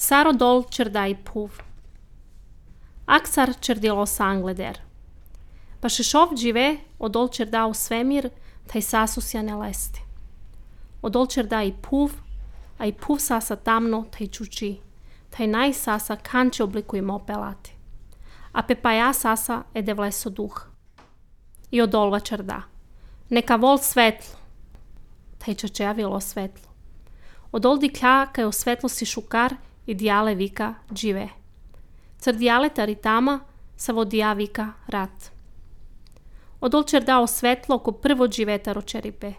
Saro dol čerdai puv. Aksar čerdilo sangleder. Pa šešov džive odol čerdao svemir, taj sasusja ne lesti. Odol čerdai puv, a i puv sasa tamno taj čuči. Taj naj sasa kanče oblikujemo pelati. A pepaja sasa ede vleso duh. I odolva čerda. Neka vol svetlo. Taj čačeja vilo svetlo. Odol diklja kaj o svetlosti šukar i dijale vika džive. Car dijale taritama sa vodija vika rat. Odol čerdao svetlo ko prvo dživetaro čeripe.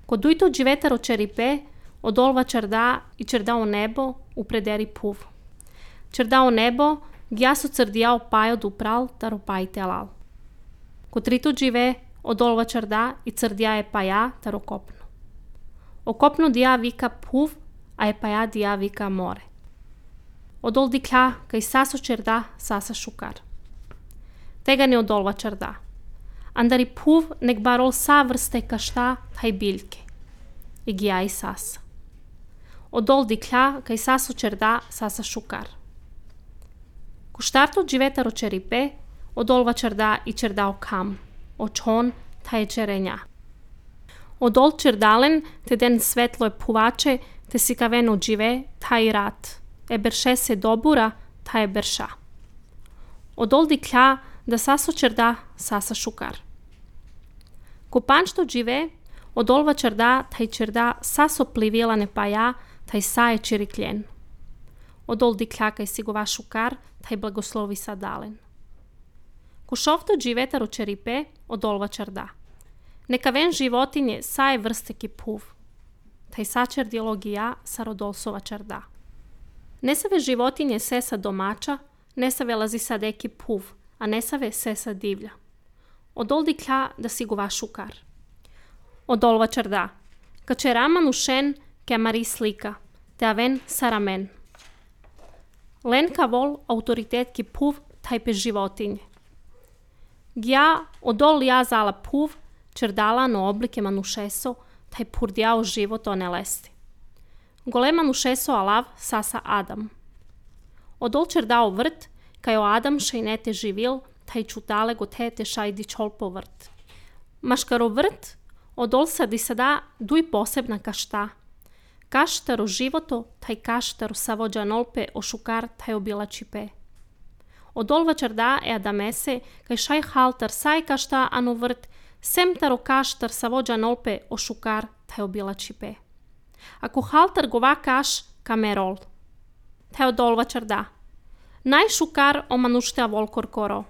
Ko dujto dživetaro čeripe, odolva čerda i čerdao nebo u prederi puv. Čerdao nebo, gjaso crdijao pajo dupral taro pajtelal. Ko trito džive, odolva čerda i crdija je paja taro kopno. O kopno dija vika puv, a je paja dija vika more. Odol diklja kaj saso čerda sasa šukar. Tega ne odolva čerda. Andari puv nek barol sa vrste kašta taj biljke. I gija i sasa. Odol diklja kaj saso čerda sasa šukar. Ko štarto dživetaro čeripe, odolva čerda i čerdao kam. Očon taj čerenja. Odol čerdalen te den svetlo je puvače, te si kaveno džive taj rat. E berše se dobura, taj je berša. Odol diklja da saso čerda sasa šukar. Ko pančto džive, odolva čerda taj čerda saso plivila ne paja, taj sa je čirikljen. Odol diklja kaj si gova šukar, taj blagoslovi sa dalen. Ko šovto dživetaro čeripe, odolva čerda. Neka ven životinje sa je vrste ki puv. Taj sa čerdiologija sa rodolsova čerda. Ne save životinje sesa domača, ne save lazi sa deki puv, a ne save sesa divlja. Odol diklja da si gova šukar. Odolva čerda. Kače raman ušen ke mari slika, te aven saramen. Lenka vol autoritet ki puv taj pe životinje. Gja odol ja zala puv, čerdala no oblike manušeso, taj purdjao život o ne lesti. Gole manušeso alav sasa Adam. Odol čerdao vrt, kaj o Adam šajnete živil, taj čutale gotete šajdi čol po vrt. Maškaro vrt, odol sadi sada duj posebna kašta. Kaštaro životo, taj kaštaro savođa nolpe o šukar taj obila čipe. Odolva čerda e adamese, kaj šaj haltar saj kašta anu vrt, sem taro kaštar savođa nolpe o šukar taj obila čipe. Ako haltar gova kaš kamerol. Taj odolva čerda. Naj šukar o manuštea volkor koro.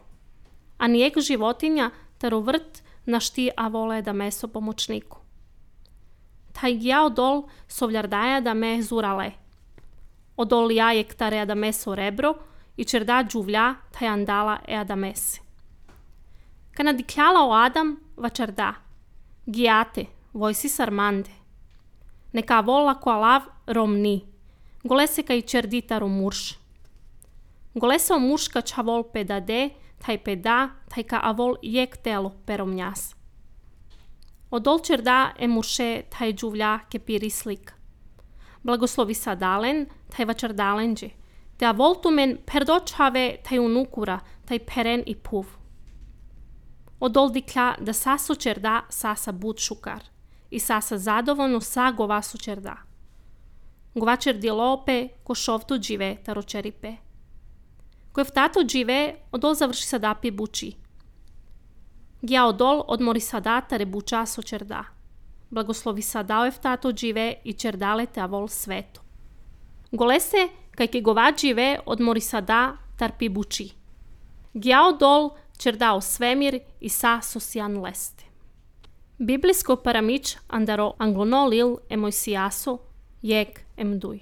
A nijeg životinja taro vrt našti a vole da meso pomočniku. Taj gja odol sovljardaja da me zurale. Odol jajek tare da meso rebro i čerda džuvlja taj andala e da mese. Kana dikljala o Adam va čerda. Gijate, vojsi sarmande. Neka vola ko alav romni. Gole se kaj čerdi taro murš. Gole se o muška ča vol pedade, taj peda, taj ka avol jek telo peromnjas. Odol čerda e murše taj džuvlja ke piri slik. Blagoslovi sa dalen, taj va čerdalenđe. Te avol tu men perdočave taj unukura, taj peren i puv. Odol diklja da saso čerda sasa bud šukar. I sasa zadovoljno sa gova su čerda. Gova čerdi lope ko šovto džive taro čeripe. Ko je vtato džive, odol završi sada pi buči. Gja odol odmori sada tare buča so čerda. Blagoslovi sada je vtato džive i čerdale te avol sveto. Gole se, kaj ke gova džive, odmori sada tar pi buči. Gja odol čerdao svemir i sa sosjan leste. Biblijsko paramič andaro anglonolil emojsijaso, jeg emduj.